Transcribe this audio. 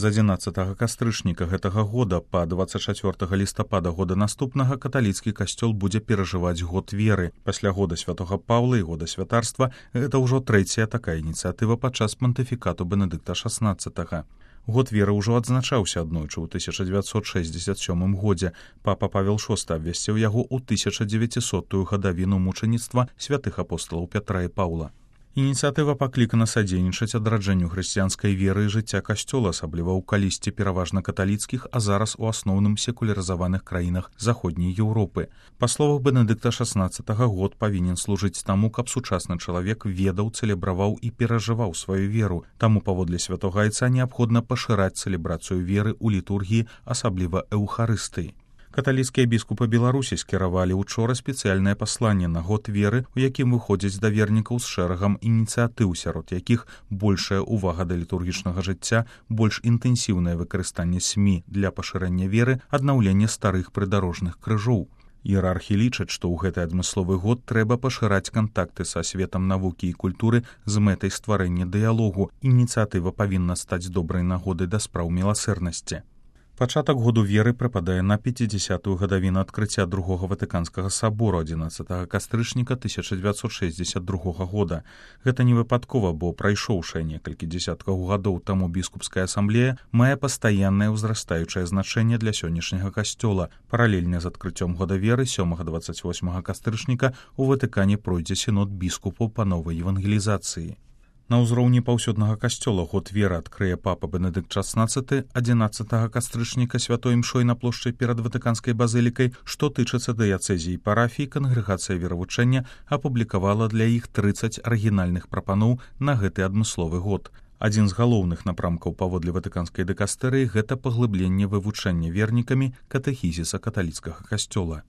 З 11 кастрычніка гэтага года па 24 лістапада года наступнага каталіцкі касцёл будзе перажываць год веры. Пасля года святога Паўла і года святарства гэта ўжо трэцяя такая ініцыятыва падчас пантыфікату Бенедыкта XVI. Год веры ўжо адзначаўся аднойчы ў 1967 годзе. Папа Павел VI абвясціў яго ў 1900-ю гадавіну мучаніцтва святых апосталаў Пятра і Паўла. Ініцыятыва паклікана садзейнічаць адраджэнню хрысціянскай веры і жыцця касцёла, асабліва ў калісьці пераважна каталіцкіх, а зараз у асноўным секулярызаваных краінах заходняй Еўропы. Па словах Бенедыкта XVI, год павінен служыць таму, каб сучасны чалавек ведаў, цэлебраваў і перажываў сваю веру. Таму паводле святога айца неабходна пашыраць цэлебрацыю веры ў літургіі, асабліва эўхарыстыі. Каталіцкія біскупы Беларусі скіравалі учора спецыяльнае пасланне на год веры, у якім выходзяць да вернікаў з шэрагам ініцыятыў, сярод якіх большая ўвага да літургічнага жыцця, больш інтэнсіўнае выкарыстанне СМІ для пашырэння веры, аднаўленне старых прыдарожных крыжоў. Іерархі лічаць, што ў гэты адмысловы год трэба пашыраць кантакты са светам навукі і культуры з мэтай стварэння дыялогу. Ініцыятыва павінна стаць добрай нагодай да спраў міласэрнасці. Пачатак году веры прыпадае на 50-ю гадавіну адкрыцця Другога Ватыканскага сабору 11 кастрычніка 1962 года. Гэта не выпадкова, бо прайшоўшая некалькі дзесяткаў гадоў таму біскупская асамблея мае пастаяннае ўзрастаючае значэнне для сённяшняга касцёла. Паралельна з адкрыццём года веры 7-28 кастрычніка у Ватыкане пройдзе сінод біскупаў па новай евангелізацыі. На ўзроўні паўсюднага касцёла год веры адкрые папа Бенедыкт XVI 11 кастрычніка святой імшой на плошчы перад Ватыканскай базылікай. Што тычыцца дыяцэзій і парафій, кангрэгацыя веравучэння апублікавала для іх 30 арыгінальных прапаноў на гэты адмысловы год. Адзін з галоўных напрамкаў паводле ватыканскай дыкастэрыі гэта паглыбленне вывучэння вернікамі катэхізіса каталіцкага касцёла.